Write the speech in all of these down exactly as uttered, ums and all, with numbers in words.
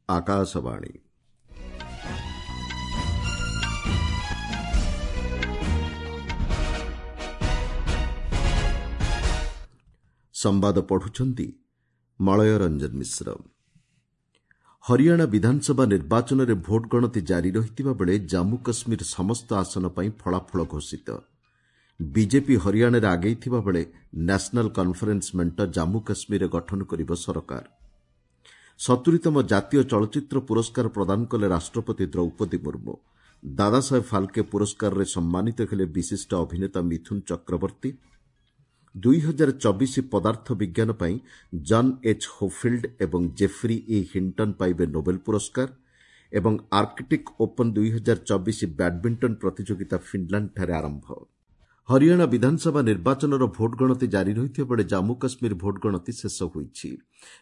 ଆକାଶବାଣୀ ସମ୍ବାଦ ପଢୁଛନ୍ତି ମଳୟ ରଞ୍ଜନ ମିଶ୍ର ହରିୟାଣା ବିଧାନସଭା ନିର୍ବାଚନରେ ଭୋଟ ଗଣତି ଜାରି ରହିଥିବା ବେଳେ ଜାମ୍ମୁ କାଶ୍ମୀର ସମସ୍ତ ଆସନ ପାଇଁ ଫଳାଫଳ ଘୋଷିତ ବିଜେପି ହରିୟାଣାରେ ଆଗେଇଥିବା ବେଳେ ନ୍ୟାସନାଲ୍ କନ୍ଫରେନ୍ସ ମେଣ୍ଟ ଜାମ୍ମୁ କାଶ୍ମୀରରେ ଗଠନ କରିବ ସରକାର ସତୁରିତମ ଜାତୀୟ ଚଳଚ୍ଚିତ୍ର ପୁରସ୍କାର ପ୍ରଦାନ କଲେ ରାଷ୍ଟ୍ରପତି ଦ୍ରୌପଦୀ ମୁର୍ମୁ ଦାଦାସାହେବ ଫାଲ୍କେ ପୁରସ୍କାରରେ ସମ୍ମାନିତ ହେଲେ ବିଶିଷ୍ଟ ଅଭିନେତା ମିଥୁନ ଚକ୍ରବର୍ତ୍ତୀ ଦୁଇ ହଜାର ଚବିଶ ପଦାର୍ଥ ବିଜ୍ଞାନ ପାଇଁ ଜନ୍ ଏଚ୍ ହୋଫିଲ୍ଡ ଏବଂ ଜେଫ୍ରି ଇ ହିଣ୍ଟନ୍ ପାଇବେ ନୋବେଲ ପୁରସ୍କାର ଏବଂ ଆର୍କଟିକ୍ ଓପନ୍ ଦୁଇ ହଜାର ଚବିଶ ବ୍ୟାଡ୍ମିଣ୍ଟନ ପ୍ରତିଯୋଗିତା ଫିନ୍ଲାଣ୍ଡଠାରେ ଆରମ୍ଭ ହରିୟାଣା ବିଧାନସଭା ନିର୍ବାଚନର ଭୋଟ ଗଣତି ଜାରି ରହିଥିବା ବେଳେ ଜାମ୍ମୁ କାଶ୍ମୀର ଭୋଟ ଗଣତି ଶେଷ ହୋଇଛି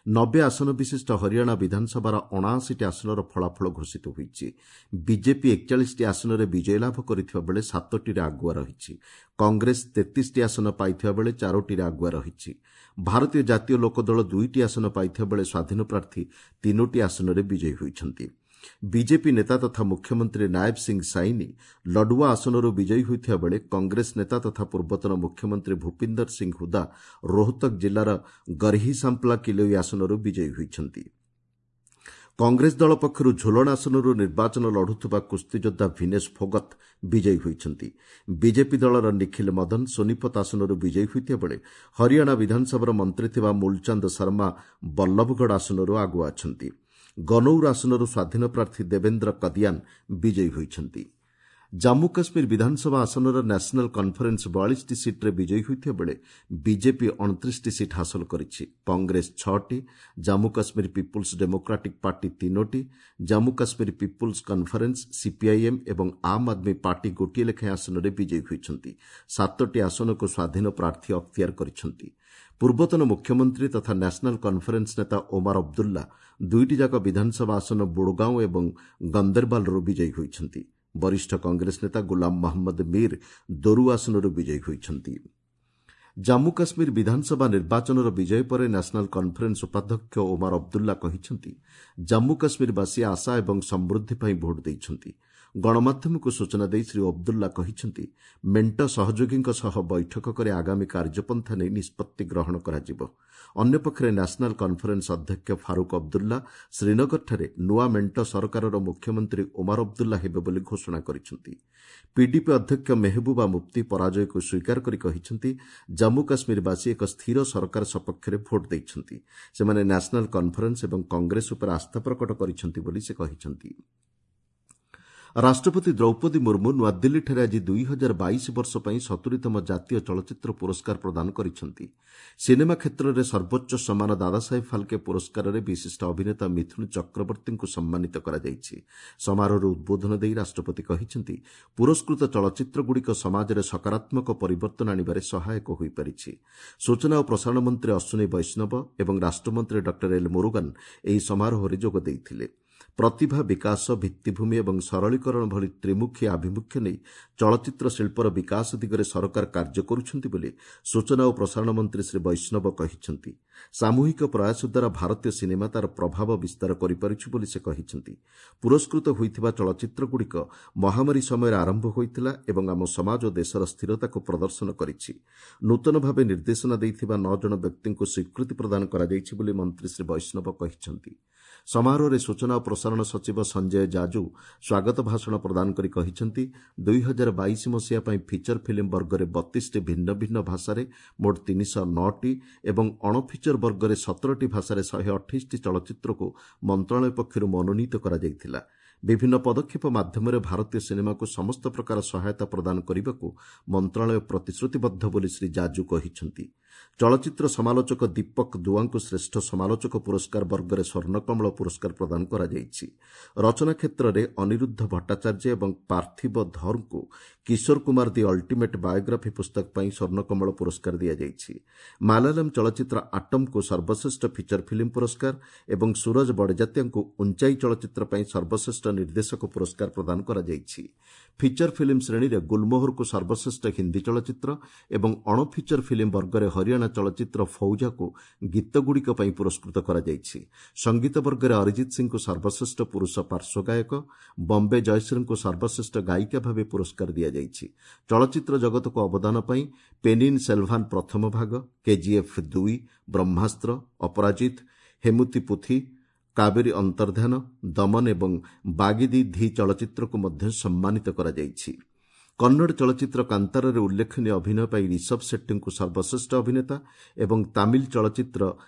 ନବେ ଆସନ ବିଶିଷ୍ଟ ହରିୟାଣା ବିଧାନସଭାର ଅଣାଅଶୀଟି ଆସନର ଫଳାଫଳ ଘୋଷିତ ହୋଇଛି ବିଜେପି ଏକଚାଳିଶଟି ଆସନରେ ବିଜୟ ଲାଭ କରିଥିବା ବେଳେ ସାତଟିରେ ଆଗୁଆ ରହିଛି କଂଗ୍ରେସ ତେତିଶଟି ଆସନ ପାଇଥିବା ବେଳେ ଚାରୋଟିରେ ଆଗୁଆ ରହିଛି ଭାରତୀୟ ଜାତୀୟ ଲୋକଦଳ ଦୁଇଟି ଆସନ ପାଇଥିବା ବେଳେ ସ୍ୱାଧୀନ ପ୍ରାର୍ଥୀ ତିନୋଟି ଆସନରେ ବିଜୟୀ ହୋଇଛନ୍ତି ବିଜେପି ନେତା ତଥା ମୁଖ୍ୟମନ୍ତ୍ରୀ ନାୟବ ସିଂ ସାଇନି ଲଡୁଆ ଆସନରୁ ବିଜୟୀ ହୋଇଥିବା ବେଳେ କଂଗ୍ରେସ ନେତା ତଥା ପୂର୍ବତନ ମୁଖ୍ୟମନ୍ତ୍ରୀ ଭୂପିନ୍ଦର ସିଂ ହୁଦା ରୋହତକ ଜିଲ୍ଲାର ଗର୍ହିସାମ୍ପ୍ଲା କିଲୋଇ ଆସନରୁ ବିଜୟୀ ହୋଇଛନ୍ତି କଂଗ୍ରେସ ଦଳ ପକ୍ଷରୁ ଝୁଲଣ ଆସନରୁ ନିର୍ବାଚନ ଲଢୁଥିବା କୁସ୍ତିଯୋଦ୍ଧା ଭିନେଶ ଫୋଗତ ବିଜୟୀ ହୋଇଛନ୍ତି ବିଜେପି ଦଳର ନିଖିଲ ମଦନ ସୋନିପତ ଆସନରୁ ବିଜୟୀ ହୋଇଥିବା ବେଳେ ହରିୟାଣା ବିଧାନସଭାର ମନ୍ତ୍ରୀ ଥିବା ମୂଲଚାନ୍ଦ ଶର୍ମା ବଲ୍ଲଭଗଡ଼ ଆସନରୁ ଆଗୁଆ ଅଛନ୍ତି ଗନୌର ଆସନରୁ ସ୍ୱାଧୀନ ପ୍ରାର୍ଥୀ ଦେବେନ୍ଦ୍ର କଦିଆନ ବିଜୟୀ ହୋଇଛନ୍ତି ଜାମ୍ମୁ କାଶ୍ମୀର ବିଧାନସଭା ଆସନର ନ୍ୟାସନାଲ୍ କନ୍ଫରେନ୍ସ ବୟାଳିଶଟି ସିଟ୍ରେ ବିଜୟୀ ହୋଇଥିବା ବେଳେ ବିଜେପି ଅଣତିରିଶଟି ସିଟ୍ ହାସଲ କରିଛି କଂଗ୍ରେସ ଛଅଟି Jammu Kashmir People's Democratic Party ତିନୋଟି Jammu Kashmir People's Conference C P I M ଏବଂ ଆମ୍ ଆଦମୀ ପାର୍ଟି ଗୋଟିଏ ଲେଖାଏଁ ଆସନରେ ବିଜୟୀ ହୋଇଛନ୍ତି ସାତଟି ଆସନକୁ ସ୍ୱାଧୀନ ପ୍ରାର୍ଥୀ ଅକ୍ତିଆର କରିଛନ୍ତି ପୂର୍ବତନ ମୁଖ୍ୟମନ୍ତ୍ରୀ ତଥା ନ୍ୟାସନାଲ୍ କନ୍ଫରେନ୍ସ ନେତା ଓମାର ଅବଦୁଲ୍ଲା ଦୁଇଟିଯାକ ବିଧାନସଭା ଆସନ ବୁଡ଼ଗାଓଁ ଏବଂ ଗନ୍ଦେରବାଲ୍ରୁ ବିଜୟୀ ହୋଇଛନ୍ତି ବରିଷ୍ଠ କଂଗ୍ରେସ ନେତା ଗୁଲାମ ମହମ୍ମଦ ମୀର ଦୋରୁ ଆସନରୁ ବିଜୟୀ ହୋଇଛନ୍ତି ଜାମ୍ମୁ କାଶ୍ମୀର ବିଧାନସଭା ନିର୍ବାଚନର ବିଜୟ ପରେ ନ୍ୟାସନାଲ୍ କନ୍ଫରେନ୍ସ ଉପାଧ୍ୟକ୍ଷ ଓମାର ଅବଦୁଲ୍ଲା କହିଛନ୍ତି ଜାମ୍ମୁ କାଶ୍ମୀରବାସୀ ଆଶା ଏବଂ ସମୃଦ୍ଧି ପାଇଁ ଭୋଟ ଦେଇଛନ୍ତି ଗଣମାଧ୍ୟମକୁ ସୂଚନା ଦେଇ ଶ୍ରୀ ଅବଦୁଲ୍ଲା କହିଛନ୍ତି ମେଣ୍ଟ ସହଯୋଗୀଙ୍କ ସହ ବୈଠକ କରି ଆଗାମୀ କାର୍ଯ୍ୟପନ୍ଥା ନେଇ ନିଷ୍ପତ୍ତି ଗ୍ରହଣ କରାଯିବ ଅନ୍ୟପକ୍ଷରେ ନ୍ୟାସନାଲ୍ କନ୍ଫରେନ୍ସ ଅଧ୍ୟକ୍ଷ ଫାରୁକ୍ ଅବଦୁଲ୍ଲା ଶ୍ରୀନଗରଠାରେ ନୂଆ ମେଣ୍ଟ ସରକାରର ମୁଖ୍ୟମନ୍ତ୍ରୀ ଓମାର ଅବଦୁଲ୍ଲା ହେବେ ବୋଲି ଘୋଷଣା କରିଛନ୍ତି ପିଡିପି ଅଧ୍ୟକ୍ଷ ମେହବୁବା ମୁଫ୍ତି ପରାଜୟକୁ ସ୍ୱୀକାର କରି କହିଛନ୍ତି ଜାମ୍ମୁ କାଶ୍ମୀରବାସୀ ଏକ ସ୍ଥିର ସରକାର ସପକ୍ଷରେ ଭୋଟ ଦେଇଛନ୍ତି ସେମାନେ ନ୍ୟାସନାଲ୍ କନ୍ଫରେନ୍ସ ଏବଂ କଂଗ୍ରେସ ଉପରେ ଆସ୍ଥା ପ୍ରକଟ କରିଛନ୍ତି ବୋଲି ସେ କହିଛନ୍ତି ରାଷ୍ଟ୍ରପତି ଦ୍ରୌପଦୀ ମୁର୍ମୁ ନୂଆଦିଲ୍ଲୀଠାରେ ଆଜି ଦୁଇ ହଜାର ବାଇଶ ବର୍ଷ ପାଇଁ ସତୁରିତମ ଜାତୀୟ ଚଳଚ୍ଚିତ୍ର ପୁରସ୍କାର ପ୍ରଦାନ କରିଛନ୍ତି ସିନେମା କ୍ଷେତ୍ରରେ ସର୍ବୋଚ୍ଚ ସମ୍ମାନ ଦାଦାସାହେବ ଫାଲ୍କେ ପୁରସ୍କାରରେ ବିଶିଷ୍ଟ ଅଭିନେତା ମିଥୁନ ଚକ୍ରବର୍ତ୍ତୀଙ୍କୁ ସମ୍ମାନିତ କରାଯାଇଛି ସମାରୋହରେ ଉଦ୍ବୋଧନ ଦେଇ ରାଷ୍ଟ୍ରପତି କହିଛନ୍ତି ପୁରସ୍କୃତ ଚଳଚ୍ଚିତ୍ରଗୁଡ଼ିକ ସମାଜରେ ସକାରାତ୍ମକ ପରିବର୍ତ୍ତନ ଆଣିବାରେ ସହାୟକ ହୋଇପାରିଛି ସୂଚନା ଓ ପ୍ରସାରଣ ମନ୍ତ୍ରୀ ଅଶ୍ୱିନୀ ବୈଷ୍ଣବ ଏବଂ ରାଷ୍ଟ୍ରମନ୍ତ୍ରୀ ଡକ୍ଟର ଏଲ୍ ମୁରୁଗାନ ଏହି ସମାରୋହରେ ଯୋଗ ଦେଇଥିଲେ ପ୍ରତିଭା ବିକାଶ ଭିତ୍ତିଭୂମି ଏବଂ ସରଳୀକରଣ ଭଳି ତ୍ରିମୁଖୀ ଆଭିମୁଖ୍ୟ ନେଇ ଚଳଚ୍ଚିତ୍ର ଶିଳ୍ପର ବିକାଶ ଦିଗରେ ସରକାର କାର୍ଯ୍ୟ କରୁଛନ୍ତି ବୋଲି ସୂଚନା ଓ ପ୍ରସାରଣ ମନ୍ତ୍ରୀ ଶ୍ରୀ ବୈଷ୍ଣବ କହିଛନ୍ତି ସାମୂହିକ ପ୍ରୟାସ ଦ୍ୱାରା ଭାରତୀୟ ସିନେମା ତାର ପ୍ରଭାବ ବିସ୍ତାର କରିପାରିଛି ବୋଲି ସେ କହିଛନ୍ତି ପୁରସ୍କୃତ ହୋଇଥିବା ଚଳଚ୍ଚିତ୍ରଗୁଡ଼ିକ ମହାମାରୀ ସମୟରେ ଆରମ୍ଭ ହୋଇଥିଲା ଏବଂ ଆମ ସମାଜ ଓ ଦେଶର ସ୍ଥିରତାକୁ ପ୍ରଦର୍ଶନ କରିଛି ନୂତନ ଭାବେ ନିର୍ଦ୍ଦେଶନା ଦେଇଥିବା ନଅ ଜଣ ବ୍ୟକ୍ତିଙ୍କୁ ସ୍ୱୀକୃତି ପ୍ରଦାନ କରାଯାଇଛି ବୋଲି ମନ୍ତ୍ରୀ ଶ୍ରୀ ବୈଷ୍ଣବ କହିଛନ୍ତି ସମାରୋହରେ ସୂଚନା ଓ ପ୍ରସାରଣ ସଚିବ ସଞ୍ଜୟ ଜାଜୁ ସ୍ୱାଗତ ଭାଷଣ ପ୍ରଦାନ କରି କହିଛନ୍ତି ଦୁଇ ହଜାର ବାଇଶ ମସିହା ପାଇଁ ଫିଚର ଫିଲ୍ମ ବର୍ଗରେ ବତିଶଟି ଭିନ୍ନ ଭିନ୍ନ ଭାଷାରେ ମୋଟ ତିନିଶହ ନଅଟି ଏବଂ ଅଣଫିଚର ବର୍ଗରେ ସତରଟି ଭାଷାରେ ଶହେ ଅଠେଇଶଟି ଚଳଚ୍ଚିତ୍ରକୁ ମନ୍ତ୍ରଣାଳୟ ପକ୍ଷରୁ ମନୋନୀତ କରାଯାଇଥିଲା ବିଭିନ୍ନ ପଦକ୍ଷେପ ମାଧ୍ୟମରେ ଭାରତୀୟ ସିନେମାକୁ ସମସ୍ତ ପ୍ରକାର ସହାୟତା ପ୍ରଦାନ କରିବାକୁ ମନ୍ତ୍ରଣାଳୟ ପ୍ରତିଶ୍ରୁତିବଦ୍ଧ ବୋଲି ଶ୍ରୀ ଜାଜୁ କହିଛନ୍ତି ଚଳଚ୍ଚିତ୍ର ସମାଲୋଚକ ଦୀପକ ଦୁଆଙ୍କୁ ଶ୍ରେଷ୍ଠ ସମାଲୋଚକ ପୁରସ୍କାର ବର୍ଗରେ ସ୍ୱର୍ଣ୍ଣକମଳ ପୁରସ୍କାର ପ୍ରଦାନ କରାଯାଇଛି ରଚନା କ୍ଷେତ୍ରରେ ଅନିରୁଦ୍ଧ ଭଟ୍ଟାଚାର୍ଯ୍ୟ ଏବଂ ପାର୍ଥିବ ଧର୍ଙ୍କୁ କିଶୋର କୁମାର ଦି ଅଲ୍ଟିମେଟ୍ ବାୟୋଗ୍ରାଫି ପୁସ୍ତକ ପାଇଁ ସ୍ୱର୍ଣ୍ଣକମଳ ପୁରସ୍କାର ଦିଆଯାଇଛି ମାଲାୟାଲମ୍ ଚଳଚ୍ଚିତ୍ର ଆଟମ୍କୁ ସର୍ବଶ୍ରେଷ୍ଠ ଫିଚର ଫିଲ୍ମ ପୁରସ୍କାର ଏବଂ ସୁରଜ ବଡ଼ଜାତ୍ୟାଙ୍କୁ ଉଞ୍ଚାଇ ଚଳଚ୍ଚିତ୍ର ପାଇଁ ସର୍ବଶ୍ରେଷ୍ଠ ନିର୍ଦ୍ଦେଶକ ପୁରସ୍କାର ପ୍ରଦାନ କରାଯାଇଛି ଫିଚର ଫିଲ୍ମ ଶ୍ରେଣୀରେ ଗୁଲମୋହରକୁ ସର୍ବଶ୍ରେଷ୍ଠ ହିନ୍ଦୀ ଚଳଚ୍ଚିତ୍ର ଏବଂ ଅଣଫିଚର ଫିଲ୍ମ ବର୍ଗରେ ହରିୟାଣା ଚଳଚ୍ଚିତ୍ର ଫୌଜାକୁ ଗୀତଗୁଡ଼ିକ ପାଇଁ ପୁରସ୍କୃତ କରାଯାଇଛି। ସଙ୍ଗୀତ ବର୍ଗରେ ଅରିଜିତ ସିଂଙ୍କୁ ସର୍ବଶ୍ରେଷ୍ଠ ପୁରୁଷ ପାର୍ଶ୍ୱ ଗାୟକ, ବମ୍ବେ ଜୟଶ୍ରୀଙ୍କୁ ସର୍ବଶ୍ରେଷ୍ଠ ଗାୟିକା ଭାବେ ପୁରସ୍କାର ଦିଆଯାଇଛି। ଚଳଚ୍ଚିତ୍ର ଜଗତକୁ ଅବଦାନ ପାଇଁ ପେନିନ୍ ସେଲଭାନ୍ ପ୍ରଥମ ଭାଗ, କେଜିଏଫ୍ ଦୁଇ, ବ୍ରହ୍ମାସ୍ତ୍ର, ଅପରାଜିତ, ହେମୁତି ପୁଥି, କାବେରୀ ଅନ୍ତର୍ଦ୍ଧାନ, ଦମନ ଏବଂ ବାଗି ଦି ଧି ଚଳଚ୍ଚିତ୍ରକୁ ମଧ୍ୟ ସମ୍ମାନିତ କରାଯାଇଛି। କନ୍ନଡ଼ ଚଳଚ୍ଚିତ୍ର କାନ୍ତାରାରେ ଉଲ୍ଲେଖନୀୟ ଅଭିନୟ ପାଇଁ ରିଷଭ ସେଟ୍ଟୀଙ୍କୁ ସର୍ବଶ୍ରେଷ୍ଠ ଅଭିନେତା ଏବଂ ତାମିଲ ଚଳଚ୍ଚିତ୍ର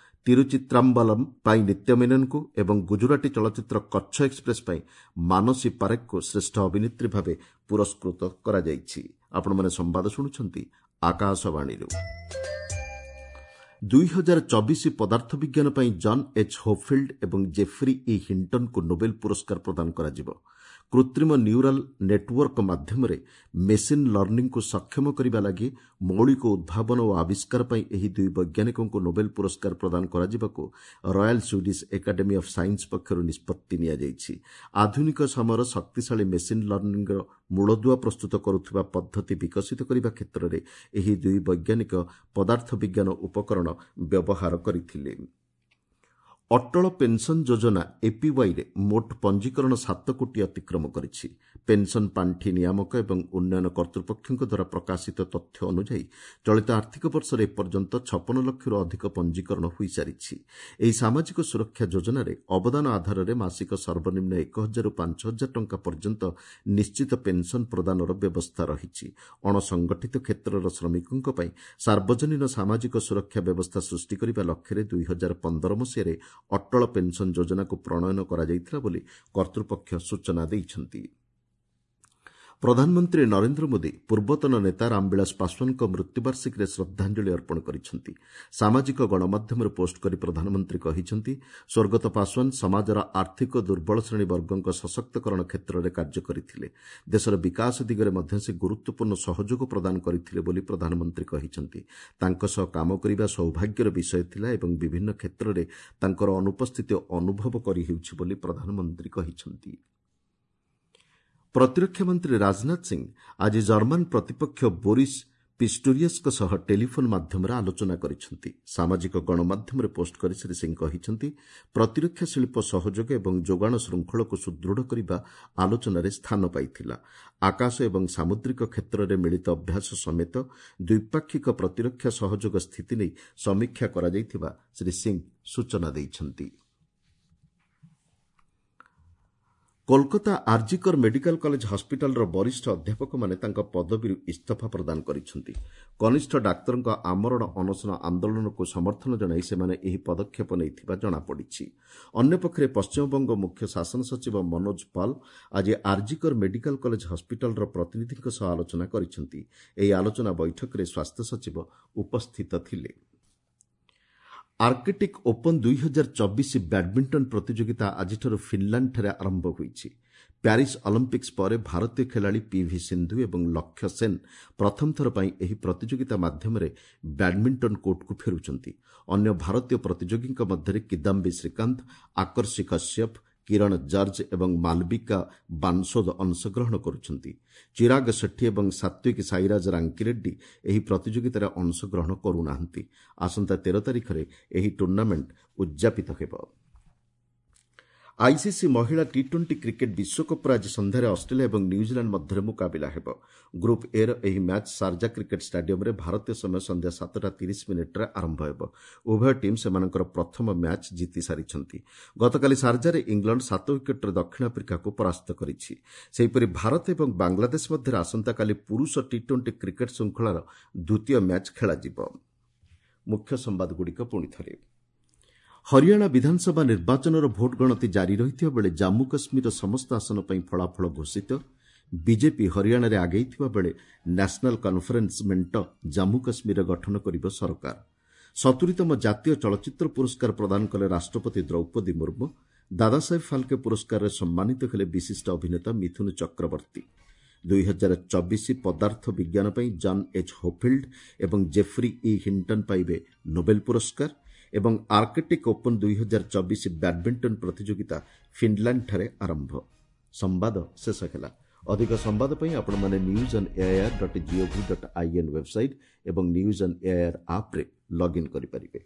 ତିରୁଚିତ୍ରାମ୍ବଲମ୍ ପାଇଁ ନିତ୍ୟ ମେନନ୍ଙ୍କୁ ଏବଂ ଗୁଜରାଟୀ ଚଳଚ୍ଚିତ୍ର କଚ୍ଛ ଏକ୍ସପ୍ରେସ୍ ପାଇଁ ମାନସୀ ପାରେଖଙ୍କୁ ଶ୍ରେଷ୍ଠ ଅଭିନେତ୍ରୀ ଭାବେ ପୁରସ୍କୃତ କରାଯାଇଛି। ଆପଣମାନେ ସମ୍ବାଦ ଶୁଣୁଛନ୍ତି ଆକାଶବାଣୀରୁ। ଦୁଇ ହଜାର ଚବିଶ ପଦାର୍ଥ ବିଜ୍ଞାନ ପାଇଁ ଜନ୍ ଏଚ୍ ହୋଫିଲ୍ଡ ଏବଂ ଜେଫ୍ରି ଇ ହିଣ୍ଟନ୍ଙ୍କୁ ନୋବେଲ ପୁରସ୍କାର ପ୍ରଦାନ କରାଯିବ। କୃତ୍ରିମ ନ୍ୟୁରାଲ୍ ନେଟ୍ୱର୍କ ମାଧ୍ୟମରେ ମେସିନ୍ ଲର୍ଣ୍ଣିଂକୁ ସକ୍ଷମ କରିବା ଲାଗି ମୌଳିକ ଉଦ୍ଭାବନ ଓ ଆବିଷ୍କାର ପାଇଁ ଏହି ଦୁଇ ବୈଜ୍ଞାନିକଙ୍କୁ ନୋବେଲ ପୁରସ୍କାର ପ୍ରଦାନ କରାଯିବାକୁ Royal Swedish Academy of Science ପକ୍ଷରୁ ନିଷ୍ପତ୍ତି ନିଆଯାଇଛି। ଆଧୁନିକ ସମୟର ଶକ୍ତିଶାଳୀ ମେସିନ୍ ଲର୍ଣ୍ଣିଂର ମୂଳଦୁଆ ପ୍ରସ୍ତୁତ କରୁଥିବା ପଦ୍ଧତି ବିକଶିତ କରିବା କ୍ଷେତ୍ରରେ ଏହି ଦୁଇ ବୈଜ୍ଞାନିକ ପଦାର୍ଥ ବିଜ୍ଞାନ ଉପକରଣ ବ୍ୟବହାର କରିଥିଲେ। ଅଟଳ ପେନ୍ସନ୍ ଯୋଜନା ଏପିୱାଇରେ ମୋଟ ପଞ୍ଜୀକରଣ ସାତ କୋଟି ଅତିକ୍ରମ କରିଛି। ପେନ୍ସନ୍ ପାଣ୍ଠି ନିୟାମକ ଏବଂ ଉନ୍ନୟନ କର୍ତ୍ତୃପକ୍ଷଙ୍କ ଦ୍ୱାରା ପ୍ରକାଶିତ ତଥ୍ୟ ଅନୁଯାୟୀ ଚଳିତ ଆର୍ଥିକ ବର୍ଷରେ ଏପର୍ଯ୍ୟନ୍ତ ଛପନ ଲକ୍ଷରୁ ଅଧିକ ପଞ୍ଜୀକରଣ ହୋଇସାରିଛି। ଏହି ସାମାଜିକ ସୁରକ୍ଷା ଯୋଜନାରେ ଅବଦାନ ଆଧାରରେ ମାସିକ ସର୍ବନିମ୍ନ ଏକ ହଜାରରୁ ପାଞ୍ଚ ହଜାର ଟଙ୍କା ପର୍ଯ୍ୟନ୍ତ ନିଶ୍ଚିତ ପେନ୍ସନ୍ ପ୍ରଦାନର ବ୍ୟବସ୍ଥା ରହିଛି। ଅଣସଂଗଠିତ କ୍ଷେତ୍ରର ଶ୍ରମିକଙ୍କ ପାଇଁ ସାର୍ବଜନୀନ ସାମାଜିକ ସୁରକ୍ଷା ବ୍ୟବସ୍ଥା ସୃଷ୍ଟି କରିବା ଲକ୍ଷ୍ୟରେ ଦୁଇ ହଜାର ପନ୍ଦର ମସିହାରେ ଅଟଳ ପେନ୍ସନ୍ ଯୋଜନାକୁ ପ୍ରଣୟନ କରାଯାଇଥିଲା ବୋଲି କର୍ତ୍ତୃପକ୍ଷ ସୂଚନା ଦେଇଛନ୍ତି। ପ୍ରଧାନମନ୍ତ୍ରୀ ନରେନ୍ଦ୍ର ମୋଦି ପୂର୍ବତନ ନେତା ରାମବିଳାସ ପାଶ୍ୱାନଙ୍କ ମୃତ୍ୟୁବାର୍ଷିକୀରେ ଶ୍ରଦ୍ଧାଞ୍ଜଳି ଅର୍ପଣ କରିଛନ୍ତି। ସାମାଜିକ ଗଣମାଧ୍ୟମରେ ପୋଷ୍ଟ କରି ପ୍ରଧାନମନ୍ତ୍ରୀ କହିଛନ୍ତି, ସ୍ୱର୍ଗତ ପାଶ୍ୱାନ ସମାଜର ଆର୍ଥିକ ଦୁର୍ବଳ ଶ୍ରେଣୀ ବର୍ଗଙ୍କ ସଶକ୍ତକରଣ କ୍ଷେତ୍ରରେ କାର୍ଯ୍ୟ କରିଥିଲେ। ଦେଶର ବିକାଶ ଦିଗରେ ମଧ୍ୟ ସେ ଗୁରୁତ୍ୱପୂର୍ଣ୍ଣ ସହଯୋଗ ପ୍ରଦାନ କରିଥିଲେ ବୋଲି ପ୍ରଧାନମନ୍ତ୍ରୀ କହିଛନ୍ତି। ତାଙ୍କ ସହ କାମ କରିବା ସୌଭାଗ୍ୟର ବିଷୟ ଥିଲା ଏବଂ ବିଭିନ୍ନ କ୍ଷେତ୍ରରେ ତାଙ୍କର ଅନୁପସ୍ଥିତି ଅନୁଭବ କରିହେଉଛି ବୋଲି ପ୍ରଧାନମନ୍ତ୍ରୀ କହିଛନ୍ତି। ପ୍ରତିରକ୍ଷା ମନ୍ତ୍ରୀ ରାଜନାଥ ସିଂ ଆଜି ଜର୍ମାନ ପ୍ରତିପକ୍ଷ ବୋରିସ୍ ପିଷ୍ଟୋରିୟସ୍ଙ୍କ ସହ ଟେଲିଫୋନ୍ ମାଧ୍ୟମରେ ଆଲୋଚନା କରିଛନ୍ତି। ସାମାଜିକ ଗଣମାଧ୍ୟମରେ ପୋଷ୍ଟ କରି ଶ୍ରୀ ସିଂ କହିଛନ୍ତି, ପ୍ରତିରକ୍ଷା ଶିଳ୍ପ ସହଯୋଗ ଏବଂ ଯୋଗାଣ ଶୃଙ୍ଖଳକୁ ସୁଦୃଢ଼ କରିବା ଆଲୋଚନାରେ ସ୍ଥାନ ପାଇଥିଲା। ଆକାଶ ଏବଂ ସାମୁଦ୍ରିକ କ୍ଷେତ୍ରରେ ମିଳିତ ଅଭ୍ୟାସ ସମେତ ଦ୍ୱିପାକ୍ଷିକ ପ୍ରତିରକ୍ଷା ସହଯୋଗ ସ୍ଥିତି ନେଇ ସମୀକ୍ଷା କରାଯାଇଥିବା ଶ୍ରୀ ସିଂ ସୂଚନା ଦେଇଛନ୍ତି। କୋଲକାତା ଆର୍ଜିକର ମେଡିକାଲ କଲେଜ ହସ୍ପିଟାଲର ବରିଷ୍ଠ ଅଧ୍ୟାପକମାନେ ତାଙ୍କ ପଦବୀରୁ ଇସ୍ତଫା ପ୍ରଦାନ କରିଛନ୍ତି। କନିଷ୍ଠ ଡାକ୍ତରଙ୍କ ଆମରଣ ଅନଶନ ଆନ୍ଦୋଳନକୁ ସମର୍ଥନ ଜଣାଇ ସେମାନେ ଏହି ପଦକ୍ଷେପ ନେଇଥିବା ଜଣାପଡ଼ିଛି। ଅନ୍ୟପକ୍ଷରେ ପଶ୍ଚିମବଙ୍ଗ ମୁଖ୍ୟ ଶାସନ ସଚିବ ମନୋଜ ପାଲ ଆଜି ଆର୍ଜିକର ମେଡିକାଲ କଲେଜ ହସ୍ପିଟାଲର ପ୍ରତିନିଧିଙ୍କ ସହ ଆଲୋଚନା କରିଛନ୍ତି। ଏହି ଆଲୋଚନା ବୈଠକରେ ସ୍ୱାସ୍ଥ୍ୟ ସଚିବ ଉପସ୍ଥିତ ଥିଲେ। ଆର୍କଟିକ୍ ଓପନ୍ ଦୁଇ ହଜାର ଚବିଶ ବ୍ୟାଡ୍ମିଣ୍ଟନ ପ୍ରତିଯୋଗିତା ଆଜିଠାରୁ ଫିନ୍ଲାଣ୍ଡଠାରେ ଆରମ୍ଭ ହୋଇଛି। ପ୍ୟାରିସ୍ ଅଲିମ୍ପିକ୍ସ ପରେ ଭାରତୀୟ ଖେଳାଳି ପିଭି ସିନ୍ଧୁ ଏବଂ ଲକ୍ଷ୍ୟ ସେନ୍ ପ୍ରଥମ ଥର ପାଇଁ ଏହି ପ୍ରତିଯୋଗିତା ମାଧ୍ୟମରେ ବ୍ୟାଡ୍ମିଣ୍ଟନ କୋର୍ଟକୁ ଫେରୁଛନ୍ତି। ଅନ୍ୟ ଭାରତୀୟ ପ୍ରତିଯୋଗୀଙ୍କ ମଧ୍ୟରେ କିଦାମ୍ବି ଶ୍ରୀକାନ୍ତ, ଆକର୍ଷି କଶ୍ୟପ, କିରଣ ଜର୍ଜ ଏବଂ ମାଲବିକା ବାନ୍ସୋଦ ଅଂଶଗ୍ରହଣ କରୁଛନ୍ତି। ଚିରାଗ ସେଠୀ ଏବଂ ସାତ୍ୱିକ ସାଇରାଜ ରାଙ୍କିରେଡ୍ଡୀ ଏହି ପ୍ରତିଯୋଗିତାରେ ଅଂଶଗ୍ରହଣ କରୁନାହାନ୍ତି। ଆସନ୍ତା ତେର ତାରିଖରେ ଏହି ଟୁର୍ଣ୍ଣାମେଣ୍ଟ ଉଦ୍ଯାପିତ ହେବ। ଆଇସିସି ମହିଳା ଟି ଟ୍ୱେଣ୍ଟି କ୍ରିକେଟ୍ ବିଶ୍ୱକପ୍ର ଆଜି ସନ୍ଧ୍ୟାରେ ଅଷ୍ଟ୍ରେଲିଆ ଏବଂ ନ୍ୟୁଜିଲାଣ୍ଡ ମଧ୍ୟରେ ମୁକାବିଲା ହେବ। ଗ୍ରୁପ୍ ଏର ଏହି ମ୍ୟାଚ୍ ସାର୍ଜା କ୍ରିକେଟ୍ ଷ୍ଟାଡିୟମ୍ରେ ଭାରତୀୟ ସମୟ ସନ୍ଧ୍ୟା ସାତଟା ତିରିଶ ମିନିଟ୍ରେ ଆରମ୍ଭ ହେବ। ଉଭୟ ଟିମ୍ ସେମାନଙ୍କର ପ୍ରଥମ ମ୍ୟାଚ୍ ଜିତି ସାରିଛନ୍ତି। ଗତକାଲି ସାର୍ଜାରେ ଇଂଲଣ୍ଡ ସାତ ୱିକେଟ୍ରେ ଦକ୍ଷିଣ ଆଫ୍ରିକାକୁ ପରାସ୍ତ କରିଛି। ସେହିପରି ଭାରତ ଏବଂ ବାଂଲାଦେଶ ମଧ୍ୟରେ ଆସନ୍ତାକାଲି ପୁରୁଷ ଟି ଟ୍ୱେଣ୍ଟି କ୍ରିକେଟ୍ ଶୃଙ୍ଖଳାର ଦ୍ୱିତୀୟ ମ୍ୟାଚ୍ ଖେଳାଯିବ। ମୁଖ୍ୟ ସମ୍ବାଦଗୁଡ଼ିକ ପୁଣିଥରେ। ହରିୟାଣା ବିଧାନସଭା ନିର୍ବାଚନର ଭୋଟ ଗଣତି ଜାରି ରହିଥିବା ବେଳେ ଜାମ୍ମୁ କାଶ୍ମୀରର ସମସ୍ତ ଆସନ ପାଇଁ ଫଳାଫଳ ଘୋଷିତ। ବିଜେପି ହରିୟାଣାରେ ଆଗେଇଥିବା ବେଳେ ନ୍ୟାସନାଲ୍ କନ୍ଫରେନ୍ସ ମେଣ୍ଟ ଜାମ୍ମୁ କାଶ୍ମୀରରେ ଗଠନ କରିବ ସରକାର। ସତୁରିତମ ଜାତୀୟ ଚଳଚ୍ଚିତ୍ର ପୁରସ୍କାର ପ୍ରଦାନ କଲେ ରାଷ୍ଟ୍ରପତି ଦ୍ରୌପଦୀ ମୁର୍ମୁ। ଦାଦାସାହେବ ଫାଲ୍କେ ପୁରସ୍କାରରେ ସମ୍ମାନିତ ହେଲେ ବିଶିଷ୍ଟ ଅଭିନେତା ମିଥୁନ ଚକ୍ରବର୍ତ୍ତୀ। ଦୁଇ ହଜାର ଚବିଶ ପଦାର୍ଥ ବିଜ୍ଞାନ ପାଇଁ ଜନ୍ ଏଚ୍ ହୋଫିଲ୍ଡ ଏବଂ ଜେଫ୍ରି ଇ ହିଣ୍ଟନ୍ ପାଇବେ ନୋବେଲ ପୁରସ୍କାର। ଏବଂ ଆର୍କଟିକ୍ ଓପନ୍ ଦୁଇ ହଜାର ଚବିଶ ବ୍ୟାଡ୍ମିଣ୍ଟନ ପ୍ରତିଯୋଗିତା ଫିନ୍ଲାଣ୍ଡଠାରେ ଆରମ୍ଭ। ସମ୍ବାଦ ଶେଷ ହେଲା। ଅଧିକ ସମ୍ବାଦ ପାଇଁ ଆପଣମାନେ news on AIR dot gov dot in website ଏବଂ ନ୍ୟୁଜ୍ ଅନ୍ ଏଆଇଆର୍ ଆପ୍ରେ ଲଗ୍ଇନ୍ କରିପାରିବେ।